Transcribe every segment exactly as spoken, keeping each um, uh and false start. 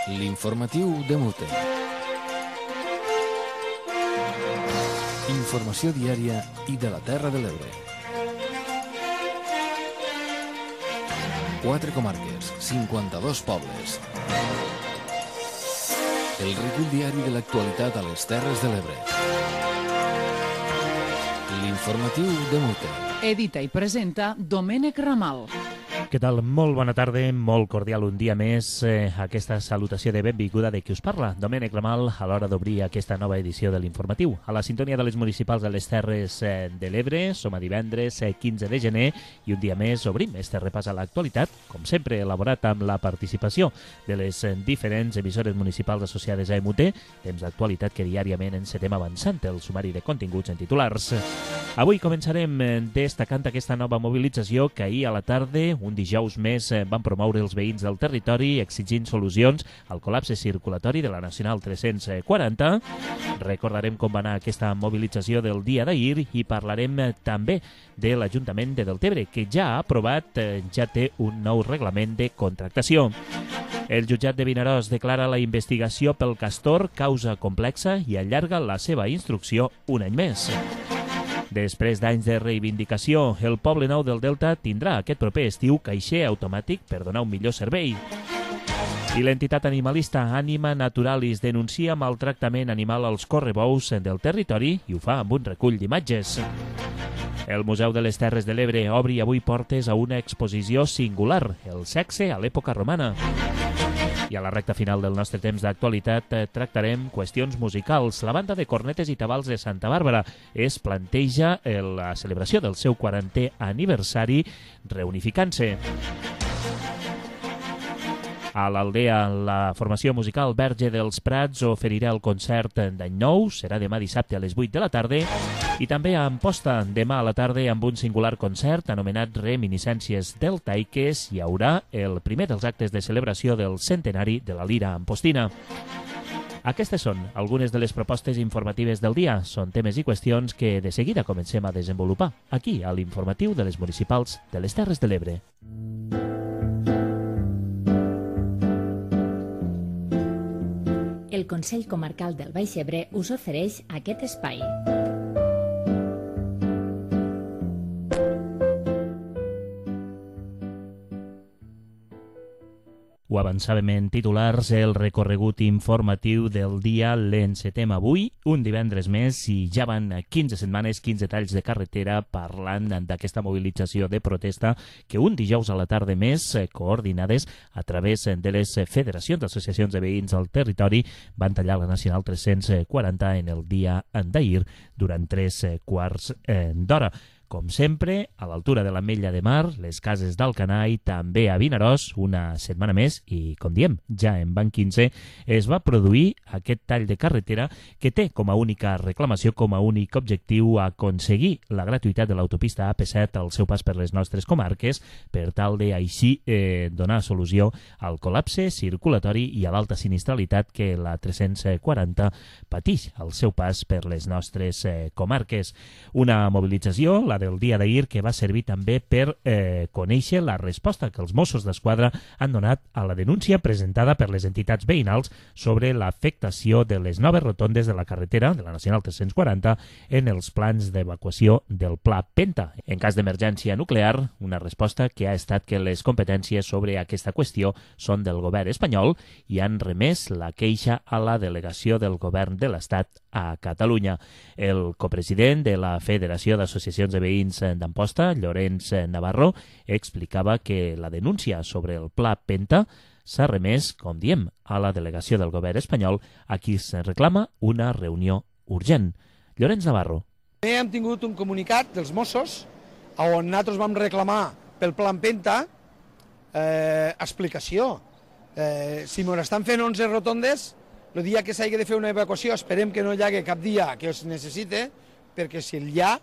L'informatiu de Mute. Informació diària i de la Terra de l'Ebre. Quatre comarques, cinquanta-dos pobles. El recull diari de l'actualitat a les Terres de l'Ebre. L'informatiu de Mute. Edita i presenta Domènec Ramal. Què tal? Molt bona tarda, molt cordial un dia més. Eh, aquesta salutació de benvinguda de qui us parla, Domènec Ramal, a l'hora d'obrir aquesta nova edició de l'informatiu. A la sintonia de les municipals de les Terres eh, de l'Ebre, som a divendres eh, quinze de gener i un dia més obrim este repàs a l'actualitat, com sempre elaborat amb la participació de les eh, diferents emissores municipals associades a E M U T, temps d'actualitat que diàriament encetem avançant el sumari de continguts en titulars. Avui començarem eh, destacant aquesta nova mobilització que ahir a la tarda, un dijous més, van promoure els veïns del territori exigint solucions al col·lapse circulatori de la Nacional tres-cents quaranta. Recordarem com va anar aquesta mobilització del dia d'ahir i parlarem també de l'Ajuntament de Deltebre, que ja ha aprovat, ja té un nou reglament de contractació. El jutjat de Vinaròs declara la investigació pel castor causa complexa i allarga la seva instrucció un any més. Després d'anys de reivindicació, el Poble Nou del Delta tindrà aquest proper estiu caixer automàtic per donar un millor servei. I l'entitat animalista Anima Naturalis denuncia maltractament animal als correbous del territori i ho fa amb un recull d'imatges. El Museu de les Terres de l'Ebre obri avui portes a una exposició singular, el sexe a l'època romana. I a la recta final del nostre temps d'actualitat eh, tractarem qüestions musicals. La banda de cornetes i tabals de Santa Bàrbara es planteja la celebració del seu quarantè aniversari reunificant-se. A l'Aldea, la formació musical Verge dels Prats oferirà el concert d'any nou, serà demà dissabte a les vuit de la tarda, i també a Amposta, demà a la tarda amb un singular concert anomenat Reminiscències Deltaiques, hi haurà el primer dels actes de celebració del centenari de la Lira Ampostina. Aquestes són algunes de les propostes informatives del dia. Són temes i qüestions que de seguida comencem a desenvolupar aquí, a l'informatiu de les municipals de les Terres de l'Ebre. El Consell Comarcal del Baix Ebre us ofereix aquest espai. Ho avançàvem en titulars, el recorregut informatiu del dia l'encetem avui, un divendres més, i ja van quinze setmanes, quinze talls de carretera parlant d'aquesta mobilització de protesta que un dijous a la tarda més, coordinades a través de les federacions d'associacions de veïns al territori, van tallar la Nacional tres-cents quaranta en el dia d'ahir durant tres quarts d'hora. Com sempre, a l'altura de l'Ametlla de Mar, les cases d'Alcanar i també a Vinaròs, una setmana més, i com diem, ja en van quinze, es va produir aquest tall de carretera que té com a única reclamació, com a únic objectiu, aconseguir la gratuïtat de l'autopista A P set al seu pas per les nostres comarques, per tal de així eh, donar solució al col·lapse circulatori i a l'alta sinistralitat que la tres-cents quaranta patix al seu pas per les nostres eh, comarques. Una mobilització, la del dia d'ahir, que va servir també per eh, conèixer la resposta que els Mossos d'Esquadra han donat a la denúncia presentada per les entitats veïnals sobre l'afectació de les noves rotondes de la carretera de la Nacional tres-cents quaranta en els plans d'evacuació del Pla Penta. En cas d'emergència nuclear, una resposta que ha estat que les competències sobre aquesta qüestió són del govern espanyol i han remès la queixa a la delegació del govern de l'Estat a Catalunya. El copresident de la Federació d'Associacions de Veïns d'Amposta, Llorenç Navarro, explicava que la denúncia sobre el Pla Penta s'ha remès, com diem, a la delegació del govern espanyol, a qui se reclama una reunió urgent. Llorenç Navarro. Hem tingut un comunicat dels Mossos on nosaltres vam reclamar pel Pla Penta eh, explicació. Eh, si ens estan fent onze rotondes, el dia que s'hagi de fer una evacuació esperem que no hi hagi cap dia que es necessite, perquè si el hi ha,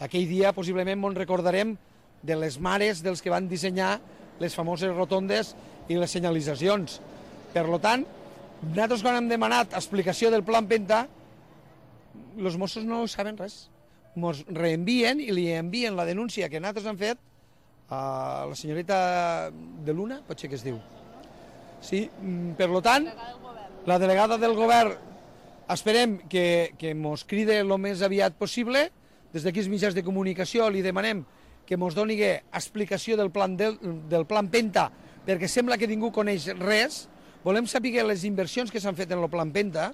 aquell dia possiblement ens recordarem de les mares dels que van dissenyar les famoses rotondes i les senyalitzacions. Per tant, nosaltres quan hem demanat explicació del Pla Penta, els Mossos no saben res. Ens reenvien i li envien la denúncia que nosaltres hem fet a la senyoreta de Luna, potser que es diu. Sí, per tant, la delegada del govern esperem que, que mos cride el més aviat possible. Des d'aquí els mitjans de comunicació li demanem que mos doni explicació del plan, del, del plan Penta, perquè sembla que ningú coneix res. Volem saber les inversions que s'han fet en el plan Penta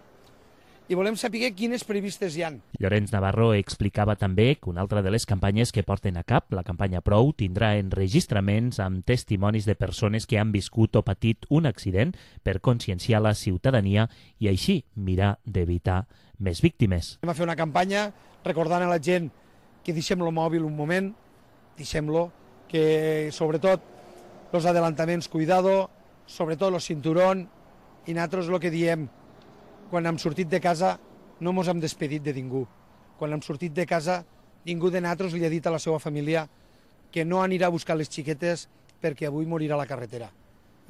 i volem saber quines previstes hi han. Llorenç Navarro explicava també que una altra de les campanyes que porten a cap, la campanya Prou, tindrà enregistraments amb testimonis de persones que han viscut o patit un accident per conscienciar la ciutadania i així mirar d'evitar més víctimes. Vam fer una campanya recordant a la gent que deixem el mòbil un moment, deixem-lo, que sobretot els adelantaments, cuidado, sobretot el cinturón, i nosaltres el que diem, quan hem sortit de casa no ens hem despedit de ningú. Quan hem sortit de casa, ningú de nosaltres li ha dit a la seva família que no anirà a buscar les xiquetes perquè avui morirà a la carretera.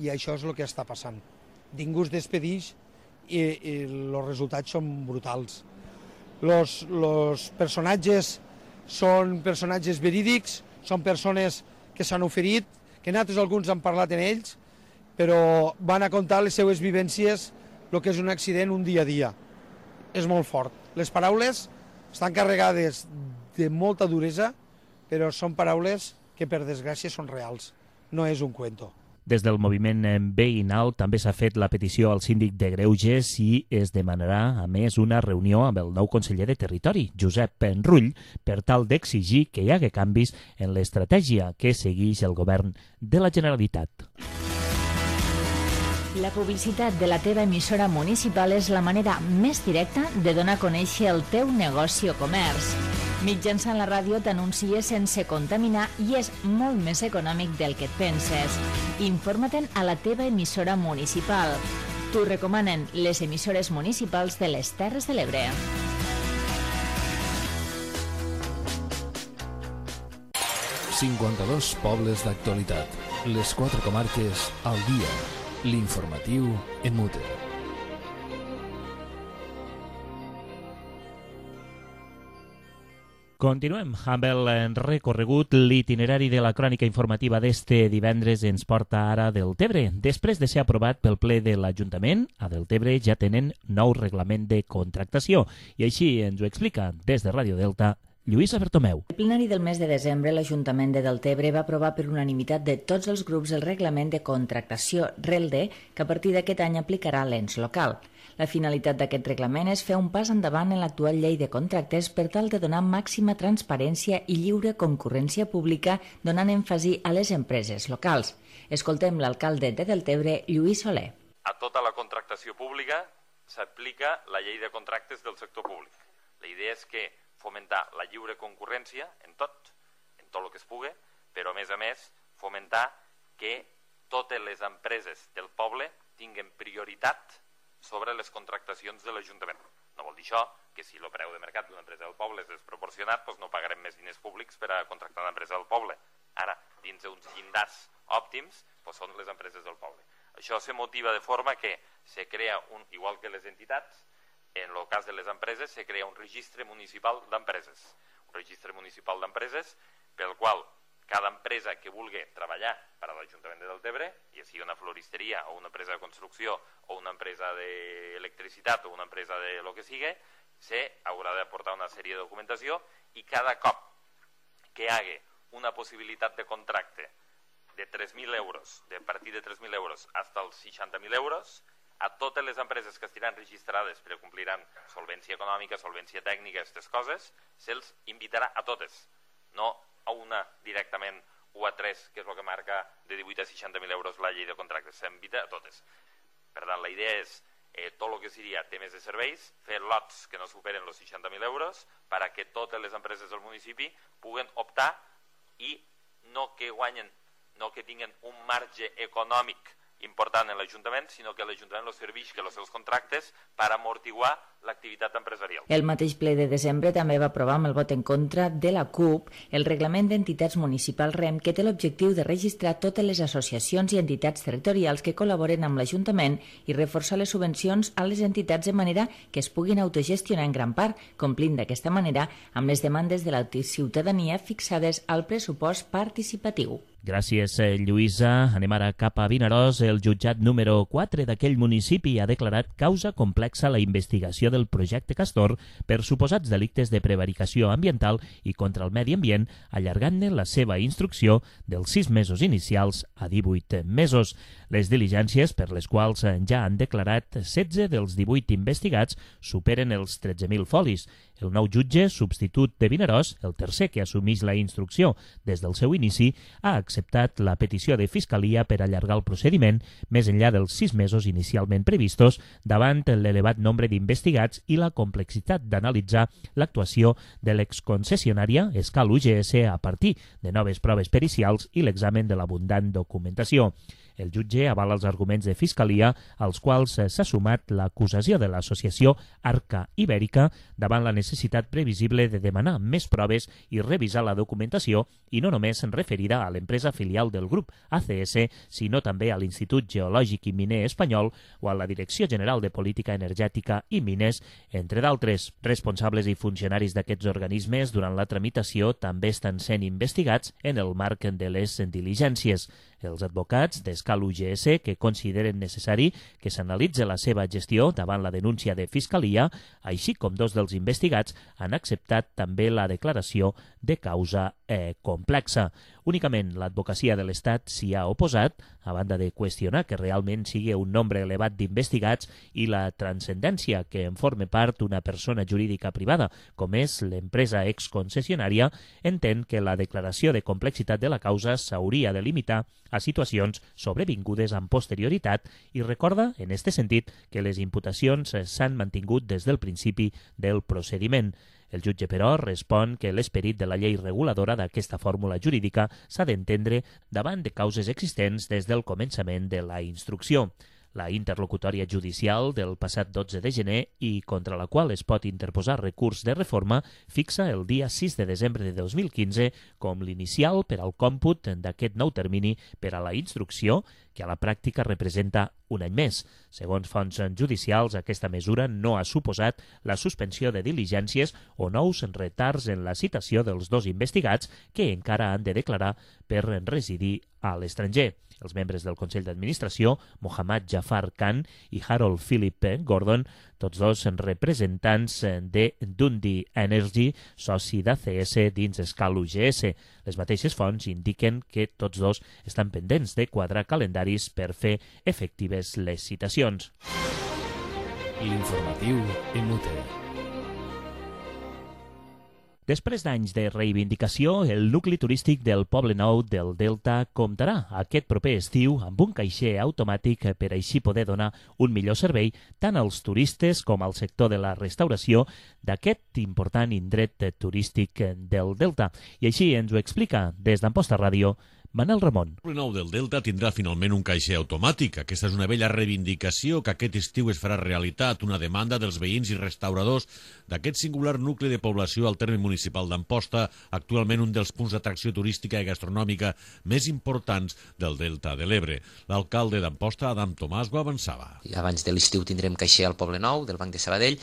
I això és el que està passant. Ningú es despedix i, i els resultats són brutals. Los, los personatges són personatges verídics, són persones que s'han oferit, que nosaltres alguns han parlat en ells, però van a contar les seues vivències, el que és un accident un dia a dia. És molt fort. Les paraules estan carregades de molta duresa, però són paraules que per desgràcia són reals. No és un cuento. Des del moviment veïnal també s'ha fet la petició al síndic de Greuges i es demanarà, a més, una reunió amb el nou conseller de Territori, Josep Penrull, per tal d'exigir que hi hagi canvis en l'estratègia que segueix el govern de la Generalitat. La publicitat de la teva emissora municipal és la manera més directa de donar a conèixer el teu negoci o comerç. Mitjançant la ràdio t'anuncies sense contaminar i és molt més econòmic del que et penses. Informa-te'n a la teva emissora municipal. T'ho recomanen les emissores municipals de les Terres de l'Ebre. cinquanta-dos pobles d'actualitat. Les quatre comarques al dia. L'informatiu en mute. Continuem amb el recorregut. L'itinerari de la crònica informativa d'este divendres ens porta ara a Deltebre. Després de ser aprovat pel ple de l'Ajuntament, a Deltebre ja tenen nou reglament de contractació. I així ens ho explica des de Ràdio Delta Lluïsa Bertomeu. El plenari del mes de desembre, l'Ajuntament de Deltebre va aprovar per unanimitat de tots els grups el reglament de contractació RELDE, que a partir d'aquest any aplicarà l'ens local. La finalitat d'aquest reglament és fer un pas endavant en l'actual llei de contractes per tal de donar màxima transparència i lliure concurrència pública, donant èmfasi a les empreses locals. Escoltem l'alcalde de Deltebre, Lluís Soler. A tota la contractació pública s'aplica la llei de contractes del sector públic. La idea és que fomentar la lliure concurrència en tot, en tot el que es pugui, però a més a més fomentar que totes les empreses del poble tinguen prioritat sobre les contractacions de l'Ajuntament. No vol dir això que si el preu de mercat d'una empresa del poble és desproporcionat, doncs no pagarem més diners públics per a contractar una empresa del poble. Ara, dins d'uns llindars òptims, doncs són les empreses del poble. Això se motiva de forma que se crea, un, igual que les entitats, en el cas de les empreses, se crea un registre municipal d'empreses. Un registre municipal d'empreses pel qual cada empresa que vulgui treballar per a l'Ajuntament de Deltebre, ja sigui una floristeria o una empresa de construcció o una empresa d'electricitat o una empresa de lo que sigui, se haurà d'aportar una sèrie de documentació i cada cop que hi hagi una possibilitat de contracte de tres mil euros, de partir de tres mil euros fins als seixanta mil euros, a totes les empreses que estiran registrades però compliran solvència econòmica, solvència tècnica, aquestes coses, se'ls invitarà a totes, no a una directament o a tres, que és el que marca de divuit a seixanta mil euros la llei de contractes, s'invita a totes. Per tant, la idea és eh, tot el que seria temes de serveis, fer lots que no superen els seixanta mil euros perquè totes les empreses del municipi puguen optar i no que guanyen, no que tinguin un marge econòmic important en l'Ajuntament, sinó que l'Ajuntament els serveix que els seus contractes per amortiguar l'activitat empresarial. El mateix ple de desembre també va aprovar amb el vot en contra de la CUP el reglament d'entitats municipals REM, que té l'objectiu de registrar totes les associacions i entitats territorials que col·laboren amb l'Ajuntament i reforçar les subvencions a les entitats de manera que es puguin autogestionar en gran part, complint d'aquesta manera amb les demandes de la ciutadania fixades al pressupost participatiu. Gràcies, Lluïsa. Anem ara cap a Vinaròs. El jutjat número quatre d'aquell municipi ha declarat causa complexa la investigació del projecte Castor per suposats delictes de prevaricació ambiental i contra el medi ambient, allargant-ne la seva instrucció dels sis mesos inicials a divuit mesos. Les diligències, per les quals ja han declarat setze dels divuit investigats, superen els tretze mil folis. El nou jutge substitut de Vinaròs, el tercer que assumeix la instrucció des del seu inici, ha acceptat la petició de Fiscalia per allargar el procediment més enllà dels sis mesos inicialment previstos davant l'elevat nombre d'investigats i la complexitat d'analitzar l'actuació de l'exconcessionària Escal U G S a partir de noves proves pericials i l'examen de l'abundant documentació. El jutge avala els arguments de Fiscalia, als quals s'ha sumat l'acusació de l'associació Arca Ibèrica davant la necessitat previsible de demanar més proves i revisar la documentació, i no només referida a l'empresa filial del grup A C S, sinó també a l'Institut Geològic i Miner Espanyol o a la Direcció General de Política Energètica i Mines, entre d'altres. Responsables i funcionaris d'aquests organismes durant la tramitació també estan sent investigats en el marc de les diligències. Els advocats d'Escal U G S, que consideren necessari que s'analitzi la seva gestió davant la denúncia de Fiscalia, així com dos dels investigats, han acceptat també la declaració de causa eh, complexa. Únicament l'advocacia de l'Estat s'hi ha oposat, a banda de qüestionar que realment sigui un nombre elevat d'investigats i la transcendència que en forme part una persona jurídica privada, com és l'empresa exconcessionària, entén que la declaració de complexitat de la causa s'hauria de limitar a situacions sobrevingudes amb posterioritat i recorda, en este sentit, que les imputacions s'han mantingut des del principi del procediment. El jutge, però, respon que l'esperit de la llei reguladora d'aquesta fórmula jurídica s'ha d'entendre davant de causes existents des del començament de la instrucció. La interlocutòria judicial del passat dotze de gener i contra la qual es pot interposar recurs de reforma fixa el dia sis de desembre de dos mil quinze com l'inicial per al còmput d'aquest nou termini per a la instrucció, que a la pràctica representa un any més. Segons fonts judicials, aquesta mesura no ha suposat la suspensió de diligències o nous retards en la citació dels dos investigats que encara han de declarar per residir a l'estranger. Els membres del Consell d'Administració, Mohammad Jafar Khan i Harold Philip Gordon, tots dos representants de Dundee Energy, soci d'A C S dins Escal U G S. Les mateixes fonts indiquen que tots dos estan pendents de quadrar calendaris per fer efectives les citacions. L'informatiu en Mute. Després d'anys de reivindicació, el nucli turístic del Poble Nou del Delta comptarà aquest proper estiu amb un caixer automàtic per així poder donar un millor servei tant als turistes com al sector de la restauració d'aquest important indret turístic del Delta. I així ens ho explica des d'Amposta Ràdio Manel Ramon. El Poble Nou del Delta tindrà finalment un caixer automàtic. Aquesta és una vella reivindicació que aquest estiu es farà realitat, una demanda dels veïns i restauradors d'aquest singular nucli de població al terme municipal d'Amposta, actualment un dels punts d'atracció turística i gastronòmica més importants del Delta de l'Ebre. L'alcalde d'Amposta, Adam Tomàs, ho avançava. Abans de l'estiu tindrem caixer al Poble Nou, del Banc de Sabadell.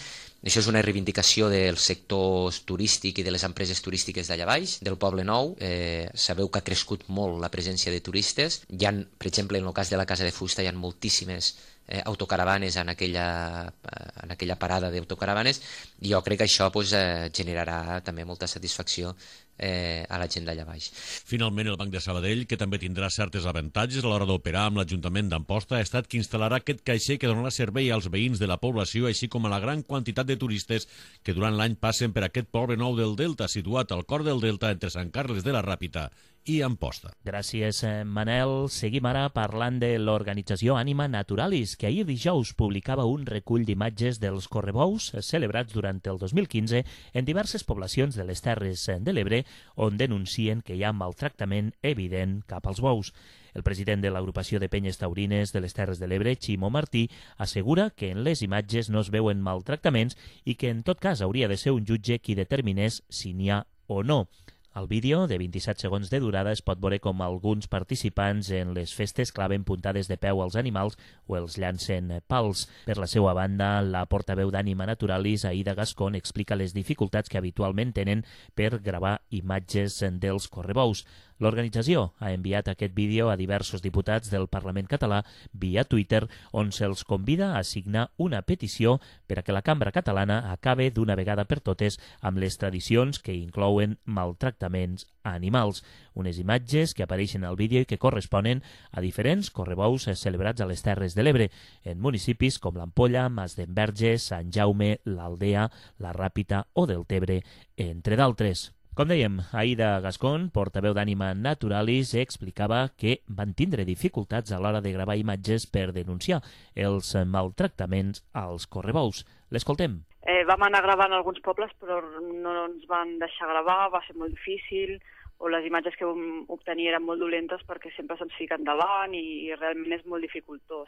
Això és una reivindicació del sector turístic i de les empreses turístiques d'allà baix, del Poble Nou. Eh, sabeu que ha crescut molt la presència de turistes. Hi ha, per exemple, en el cas de la Casa de Fusta, hi ha moltíssimes eh, autocaravanes en aquella, en aquella parada d'autocaravanes, i jo crec que això pues, eh, generarà també molta satisfacció Eh, a la gent d'allà baix. Finalment, el Banc de Sabadell, que també tindrà certes avantatges a l'hora d'operar amb l'Ajuntament d'Amposta, ha estat que instal·larà aquest caixer que donarà servei als veïns de la població, així com a la gran quantitat de turistes que durant l'any passen per aquest Poble Nou del Delta, situat al cor del Delta entre Sant Carles de la Ràpita i Amposta. Gràcies, Manel. Seguim ara parlant de l'organització Ànima Naturalis, que ahir dijous publicava un recull d'imatges dels correbous celebrats durant el dos mil quinze en diverses poblacions de les Terres de l'Ebre, on denuncien que hi ha maltractament evident cap als bous. El president de l'agrupació de penyes taurines de les Terres de l'Ebre, Ximo Martí, assegura que en les imatges no es veuen maltractaments i que en tot cas hauria de ser un jutge qui determinés si n'hi ha o no. Al vídeo, de vint-i-set segons de durada, es pot veure com alguns participants en les festes claven puntades de peu als animals o els llancen pals. Per la seva banda, la portaveu d'Ànima Naturalis, Aida Gascón, explica les dificultats que habitualment tenen per gravar imatges dels correbous. L'organització ha enviat aquest vídeo a diversos diputats del Parlament català via Twitter, on se'ls convida a signar una petició per a que la cambra catalana acabe d'una vegada per totes amb les tradicions que inclouen maltractaments a animals. Unes imatges que apareixen al vídeo i que corresponen a diferents correbous celebrats a les Terres de l'Ebre, en municipis com l'Ampolla, Masdenverge, Sant Jaume, l'Aldea, la Ràpita o Deltebre, entre d'altres. Com dèiem, Aida Gascón, portaveu d'Ànima Naturalis, explicava que van tindre dificultats a l'hora de gravar imatges per denunciar els maltractaments als correbous. L'escoltem. Eh, vam anar gravant a alguns pobles, però no ens van deixar gravar, va ser molt difícil, o les imatges que vam obtenir eren molt dolentes perquè sempre se'ns fica endavant i, i realment és molt dificultós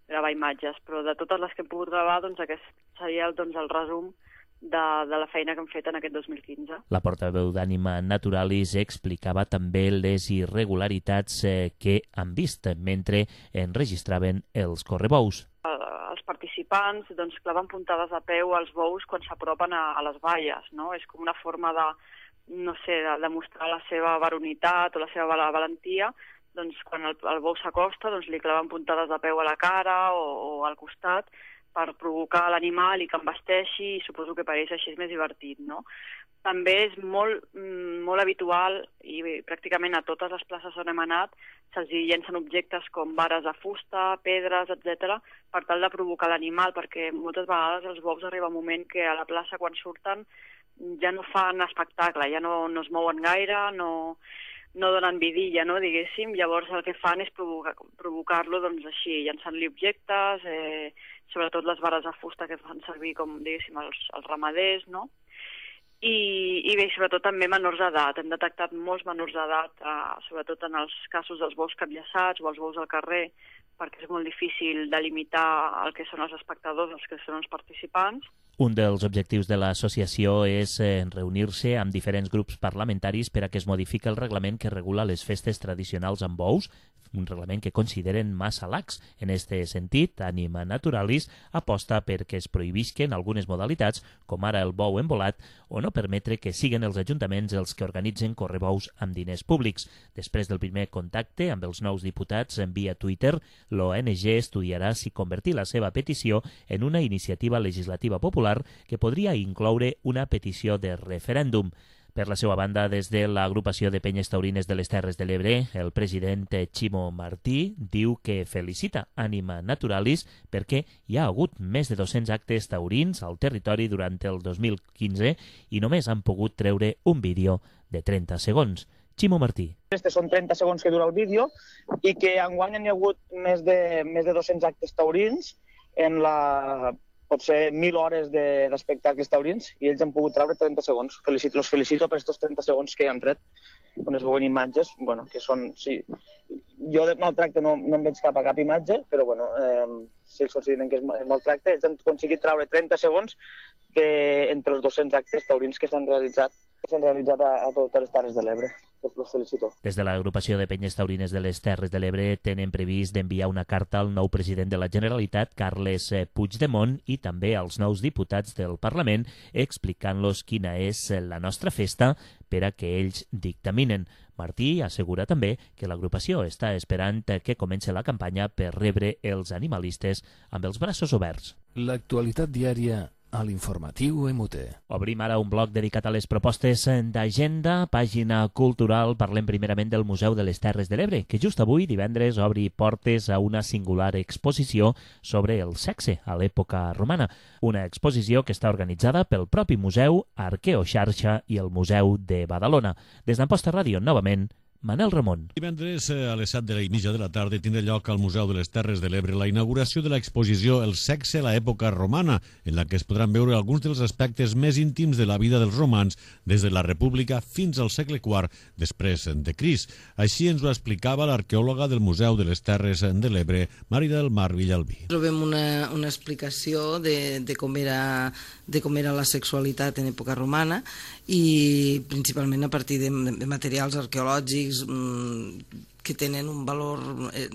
gravar imatges. Però de totes les que hem pogut gravar, doncs aquest seria doncs, el resum De, de la feina que hem fet en aquest dos mil quinze. La portaveu d'Ànima Naturalis explicava també les irregularitats eh, que han vist mentre enregistraven els correbous. Els participants doncs, claven puntades de peu als bous quan s'apropen a, a les valles, no? És com una forma de, no sé, de, de mostrar la seva varonitat o la seva valentia. Doncs quan el, el bou s'acosta, doncs li claven puntades de peu a la cara o, o al costat, per provocar l'animal i que embesteixi, i suposo que per ells així és més divertit, no? També és molt, molt habitual, i pràcticament a totes les places on hem anat, se'ls llencen objectes com vares de fusta, pedres, etcètera, per tal de provocar l'animal, perquè moltes vegades els bous arriba un moment que a la plaça, quan surten, ja no fan espectacle, ja no, no es mouen gaire, no... no donen vidilla, no, diguéssim, llavors el que fan és provocar, provocar-lo doncs, així, llançant-li objectes, eh, sobretot les vares de fusta que fan servir com, diguéssim, els, els ramaders, no? I, i bé, sobretot també menors d'edat. Hem detectat molts menors d'edat, eh, sobretot en els casos dels bous capllaçats o els bous al carrer, perquè és molt difícil delimitar el que són els espectadors, els que són els participants. Un dels objectius de l'associació és eh, reunir-se amb diferents grups parlamentaris per a que es modifiqui el reglament que regula les festes tradicionals amb bous, un reglament que consideren massa lax. En aquest sentit, Ànima Naturalis aposta perquè es prohibisquen algunes modalitats, com ara el bou embolat, o no permetre que siguin els ajuntaments els que organitzen correbous amb diners públics. Després del primer contacte amb els nous diputats en via Twitter, l'O N G estudiarà si convertir la seva petició en una iniciativa legislativa popular que podria incloure una petició de referèndum. Per la seva banda, des de l'agrupació de penyes taurines de les Terres de l'Ebre, el president Ximo Martí diu que felicita Ànima Naturalis perquè hi ha hagut més de dos-cents actes taurins al territori durant el dos mil quinze i només han pogut treure un vídeo de trenta segons. Ximo Martí. Aquestes són trenta segons que dura el vídeo i que enguany hi ha hagut més de, més de dos-cents actes taurins en la... potser mil hores d'espectacles taurins i ells han pogut treure trenta segons. Felicito, los felicito per aquests trenta segons que han tret, on es veuen imatges, bueno, que són... Sí, jo de maltracte no, no em veig cap a cap imatge, però bueno, eh, si ells consideren que és maltracte, ells han aconseguit treure trenta segons que, entre els dos-cents actes taurins que s'han realitzat, que s'han realitzat a, a totes les Terres de l'Ebre. Los felicito. Des de l'agrupació de penyes taurines de les Terres de l'Ebre tenen previst d'enviar una carta al nou president de la Generalitat, Carles Puigdemont, i també als nous diputats del Parlament, explicant-los quina és la nostra festa per a que ells dictaminen. Martí assegura també que l'agrupació està esperant que comenci la campanya per rebre els animalistes amb els braços oberts. L'actualitat diària a l'informatiu M U T. Obrim ara un bloc dedicat a les propostes d'agenda. Pàgina cultural, parlem primerament del Museu de les Terres de l'Ebre, que just avui, divendres, obri portes a una singular exposició sobre el sexe a l'època romana. Una exposició que està organitzada pel propi museu, Arqueoxarxa i el Museu de Badalona. Des d'Amposta Ràdio, novament, Manel Ramon. Divendres a les set de la mitja de la tarda tindrà lloc al Museu de les Terres de l'Ebre la inauguració de l'exposició El sexe a l'època romana, en la que es podran veure alguns dels aspectes més íntims de la vida dels romans des de la República fins al segle quart després de Crist. Així ens ho explicava l'arqueòloga del Museu de les Terres de l'Ebre, Marida del Mar Villalbí. Trobem una, una explicació de, de, com era, de com era la sexualitat en època romana i principalment a partir de, de materials arqueològics que tenen un valor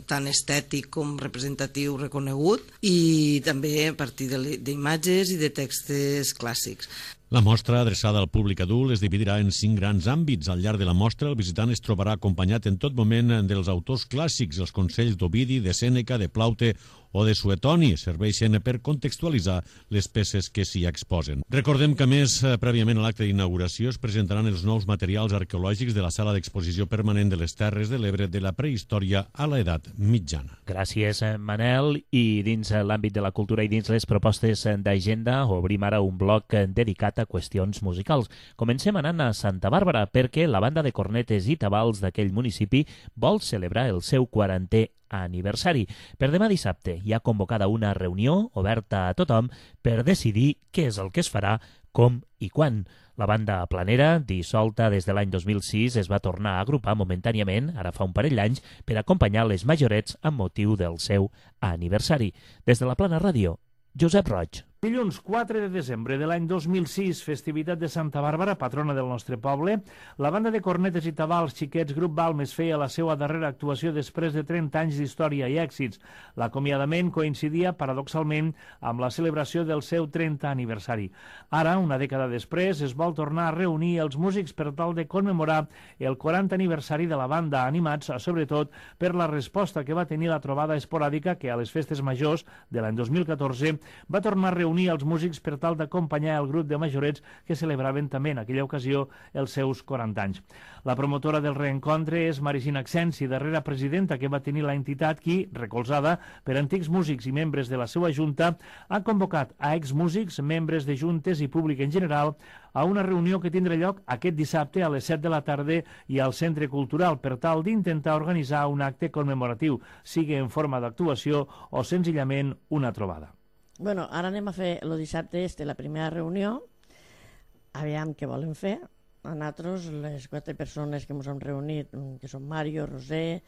tant estètic com representatiu reconegut i també a partir d'imatges i de textos clàssics. La mostra, adreçada al públic adult, es dividirà en cinc grans àmbits. Al llarg de la mostra, el visitant es trobarà acompanyat en tot moment dels autors clàssics. Els consells d'Ovidi, de Sèneca, de Plaute o de Suetoni serveixen per contextualitzar les peces que s'hi exposen. Recordem que, a més, prèviament a l'acte d'inauguració es presentaran els nous materials arqueològics de la sala d'exposició permanent de les Terres de l'Ebre de la prehistòria a l'edat mitjana. Gràcies, Manel. I dins l'àmbit de la cultura i dins les propostes d'agenda, obrim ara un bloc dedicat a qüestions musicals. Comencem anant a Santa Bàrbara, perquè la banda de cornetes i tabals d'aquell municipi vol celebrar el seu quarantè aniversari. Per demà dissabte hi ha convocada una reunió oberta a tothom per decidir què és el que es farà, com i quan. La banda planera, dissolta des de l'any dos mil sis, es va tornar a agrupar momentàniament, ara fa un parell d'anys, per acompanyar les majorets amb motiu del seu aniversari. Des de la Plana Ràdio, Josep Roig. Dilluns quatre de desembre de l'any dos mil sis, festivitat de Santa Bàrbara, patrona del nostre poble, la banda de cornetes i tabals Xiquets Grup Balmes feia la seva darrera actuació després de trenta anys d'història i èxits. L'acomiadament coincidia, paradoxalment, amb la celebració del seu trentè aniversari. Ara, una dècada després, es vol tornar a reunir els músics per tal de commemorar el quarantè aniversari de la banda, animats, sobretot, per la resposta que va tenir la trobada esporàdica que a les festes majors de l'any dos mil catorze va tornar a reunir unir els músics per tal d'acompanyar el grup de majorets que celebraven també en aquella ocasió els seus quaranta anys. La promotora del reencontre és Marisina Accensi, darrera presidenta que va tenir la entitat qui, recolzada per antics músics i membres de la seva junta, ha convocat a exmúsics, membres de juntes i públic en general a una reunió que tindrà lloc aquest dissabte a les set de la tarda i al Centre Cultural per tal d'intentar organitzar un acte commemoratiu, sigui en forma d'actuació o senzillament una trobada. Bueno, ara anem a fer el dissabte este, la primera reunió, aviam què volen fer. A nosaltres, les quatre persones que ens hem reunit, que són Mario, Roser,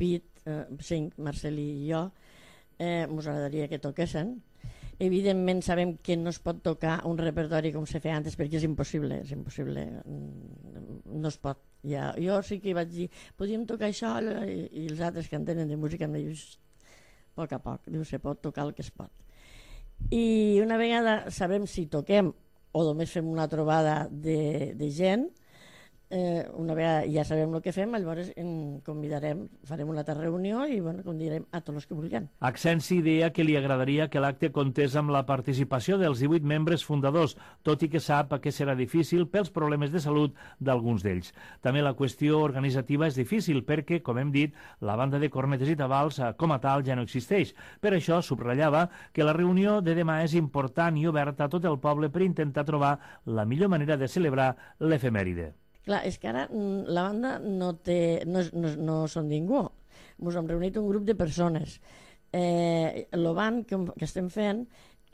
Pit, eh, cinc, Marcel i jo, eh, ens agradaria que toquessin. Evidentment sabem que no es pot tocar un repertori com se feia antes perquè és impossible, és impossible, no es pot. Ja, jo sí que vaig dir, podíem tocar això, i, i els altres que entenen de música em diuen, a poc a poc, diu, se pot tocar el que es pot. I una vegada sabem si toquem o només fem una trobada de, de gent, eh, una vegada ja sabem el que fem, llavors en convidarem, farem una altra reunió i bueno, convidarem a tots els que vulguin. Accensi deia que li agradaria que l'acte comptés amb la participació dels divuit membres fundadors, tot i que sap que serà difícil pels problemes de salut d'alguns d'ells. També la qüestió organitzativa és difícil perquè, com hem dit, la banda de cornetes i tabals com a tal ja no existeix. Per això subratllava que la reunió de demà és important i oberta a tot el poble per intentar trobar la millor manera de celebrar l'efemèride. Clar, és que ara la banda no, té, no, no, no són ningú. Ens hem reunit un grup de persones. Eh, el band que, que estem fent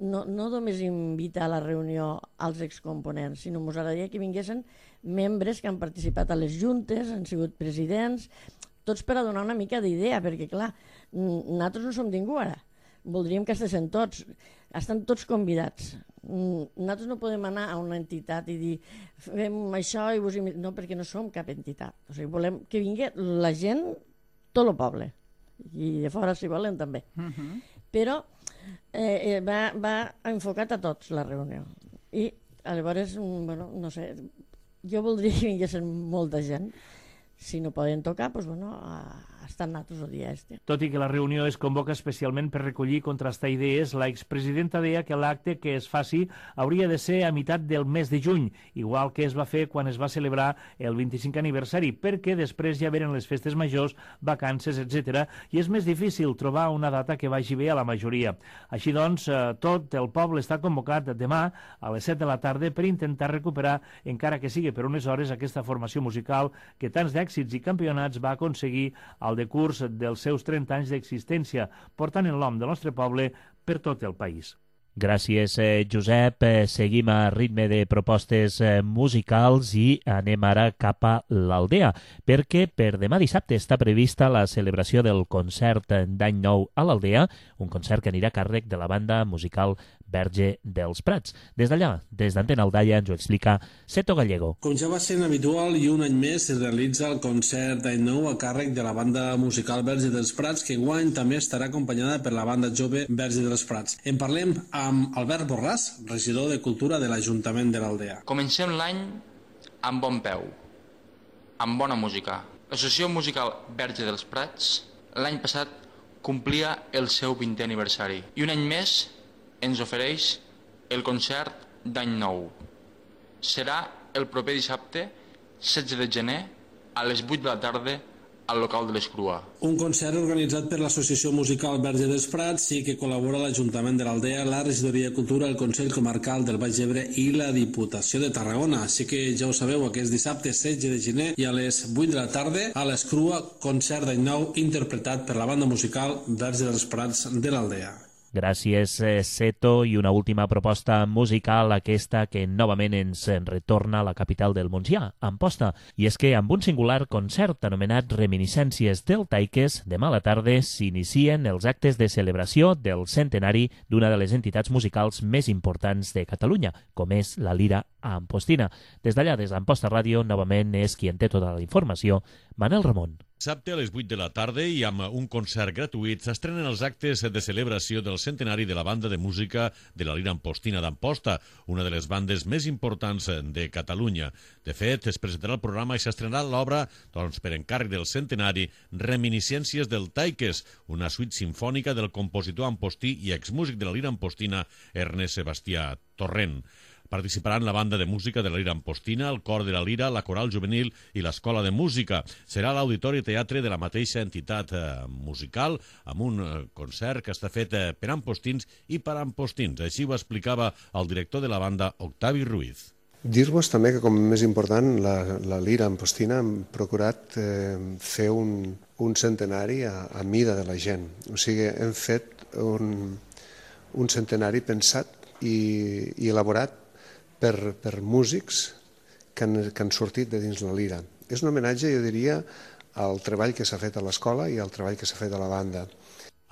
no, no només invita a la reunió als excomponents, sinó ens agradaria que vinguessin membres que han participat a les juntes, han sigut presidents, tots per a donar una mica d'idea, perquè clar, nosaltres no som ningú ara. Voldríem que estiguessin tots, estan tots convidats. Nosaltres no podem anar a una entitat i dir fem això i vos imitem. No, perquè no som cap entitat. O sigui, volem que vingui la gent, tot el poble, i de fora si volen també. Uh-huh. Però eh, va, va enfocat a tots la reunió. I llavors, bueno, no sé, jo voldria que vinguessin molta gent. Si no poden tocar, doncs, bueno, estan nosaltres el dia este. Tot i que la reunió es convoca especialment per recollir i contrastar idees, la expresidenta deia que l'acte que es faci hauria de ser a meitat del mes de juny, igual que es va fer quan es va celebrar el vint-i-cinquè aniversari, perquè després ja venen les festes majors, vacances, etcètera, i és més difícil trobar una data que vagi bé a la majoria. Així doncs, tot el poble està convocat demà a les set de la tarda per intentar recuperar, encara que sigui per unes hores, aquesta formació musical que tants d'èxits i campionats va aconseguir al decurs dels seus trenta anys d'existència, portant el nom del nostre poble per tot el país. Gràcies, eh, Josep. Eh, seguim a ritme de propostes eh, musicals i anem ara cap a l'Aldea, perquè per demà dissabte està prevista la celebració del concert d'Any Nou a l'Aldea, un concert que anirà a càrrec de la banda musical Verge dels Prats. Des d'allà, des d'Antena Aldaia, ens ho explica Seto Gallego. Com ja va ser habitual, i un any més es realitza el concert d'any nou a càrrec de la banda musical Verge dels Prats, que enguany també estarà acompanyada per la banda jove Verge dels Prats. En parlem amb Albert Borràs, regidor de Cultura de l'Ajuntament de l'Aldea. Comencem l'any amb bon peu, amb bona música. L'Associació Musical Verge dels Prats l'any passat complia el seu vintè aniversari i un any més ens ofereix el concert d'any nou. Serà el proper dissabte, setze de gener, a les vuit de la tarda, al local de l'Escrua. Un concert organitzat per l'Associació Musical Verge dels Prats i que col·labora l'Ajuntament de l'Aldea, la Regidoria de Cultura, el Consell Comarcal del Baix Ebre i la Diputació de Tarragona. Així que ja ho sabeu, aquest dissabte setze de gener i a les vuit de la tarda a l'Escrua, concert d'any nou interpretat per la banda musical Verge dels Prats de l'Aldea. Gràcies, Seto. I una última proposta musical, aquesta que novament ens retorna a la capital del Montsià, Amposta. I és que amb un singular concert anomenat Reminiscències del Taiques, demà a la tarda s'inicien els actes de celebració del centenari d'una de les entitats musicals més importants de Catalunya, com és la Lira Ampostina. Des d'allà, des d'Amposta Ràdio, novament és qui en té tota la informació, Manel Ramon. Dissabte a les vuit de la tarda i amb un concert gratuït s'estrenen els actes de celebració del centenari de la banda de música de la Lira Ampostina d'Amposta, una de les bandes més importants de Catalunya. De fet, es presentarà el programa i s'estrenarà l'obra, doncs, per encàrrec del centenari, Reminiscències del Taiques, una suite sinfònica del compositor ampostí i exmúsic de la Lira Ampostina, Ernest Sebastià Torrent. Participaran la banda de música de la Lira Ampostina, el cor de la Lira, la coral juvenil i l'escola de música. Serà a l'Auditori Teatre de la mateixa entitat eh, musical, amb un eh, concert que està fet eh, per ampostins i per ampostins. Així ho explicava el director de la banda, Octavi Ruiz. Dir-vos també que, com més important, la, la Lira Ampostina hem procurat eh, fer un, un centenari a, a mida de la gent. O sigui, hem fet un, un centenari pensat i, i elaborat Per, per músics que han, que han sortit de dins la Lira. És un homenatge, jo diria, al treball que s'ha fet a l'escola i al treball que s'ha fet a la banda.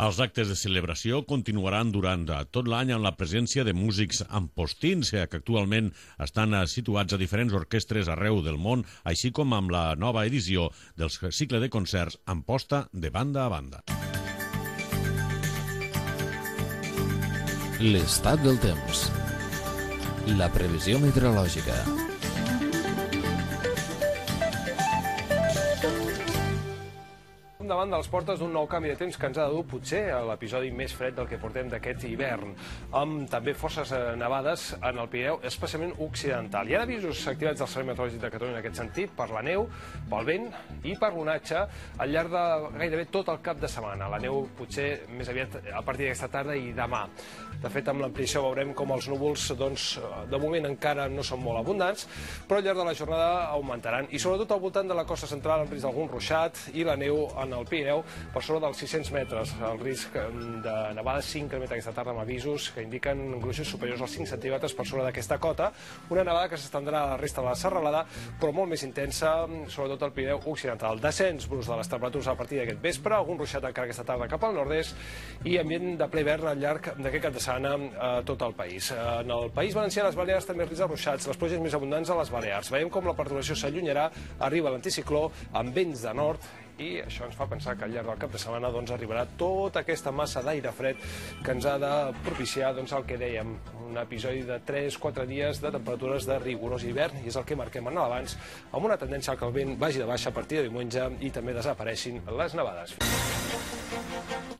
Els actes de celebració continuaran durant tot l'any amb la presència de músics ampostins que actualment estan situats a diferents orquestres arreu del món, així com amb la nova edició del cicle de concerts Amposta de banda a banda. L'estat del temps. La previsió meteorològica. Davant de les portes d'un nou canvi de temps que ens ha de dur potser a l'episodi més fred del que portem d'aquest hivern, amb també forces nevades en el Pirineu, especialment occidental. Hi ha avisos activats del Servei Meteorològic de Catalunya en aquest sentit, per la neu, pel vent i per l'onatge al llarg de gairebé tot el cap de setmana. La neu potser més aviat a partir d'aquesta tarda i demà. De fet, amb l'ampliació veurem com els núvols, doncs, de moment encara no són molt abundants, però al llarg de la jornada augmentaran. I sobretot al voltant de la costa central amb risc d'algun ruixat i la neu en el Pirineu per sobre dels sis-cents metres. El risc de nevada s'incrementa aquesta tarda amb avisos que indiquen gruixos superiors als cinc centímetres per sobre d'aquesta cota. Una nevada que s'estendrà a la resta de la serralada, però molt més intensa, sobretot al Pirineu occidental. Descens brusc de les temperatures a partir d'aquest vespre, algun ruixat encara aquesta tarda cap al nord-est i ambient de ple hivern al llarg d'aquest cap de setmana a tot el país. En el País Valencià, les Balears també risc de ruixats, les pluges més abundants a les Balears. Veiem com la perturbació s'allunyarà, arriba l'anticicló amb vents de nord i això ens fa pensar que al llarg del cap de setmana doncs, arribarà tota aquesta massa d'aire fred que ens ha de propiciar doncs, el que dèiem, un episodi de tres quatre dies de temperatures de rigorós hivern, i és el que marquem en l'abans, amb una tendència que el vent vagi de baixa a partir de diumenge i també desapareixin les nevades.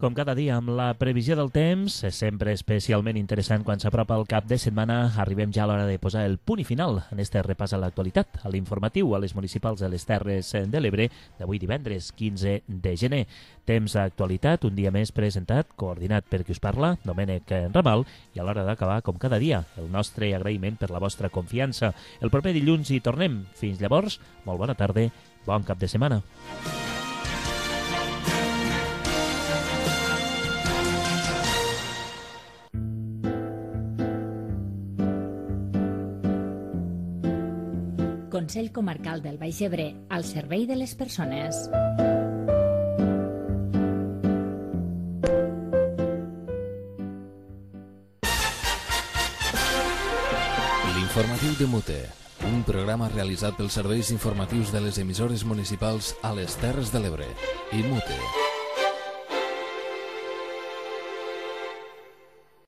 Com cada dia, amb la previsió del temps, és sempre especialment interessant quan s'apropa el cap de setmana. Arribem ja a l'hora de posar el punt i final en este repàs a l'actualitat, a l'informatiu a les municipals de les Terres de l'Ebre d'avui divendres quinze de gener. Temps d'actualitat, un dia més presentat, coordinat per qui us parla, Domènec Ramal, i a l'hora d'acabar, com cada dia, el nostre agraïment per la vostra confiança. El proper dilluns hi tornem. Fins llavors, molt bona tarda, bon cap de setmana. Consell Comarcal del Baix Ebre, al servei de les persones. L'informatiu de Mute, un programa realitzat pels serveis informatius de les emissores municipals a les Terres de l'Ebre i Mute.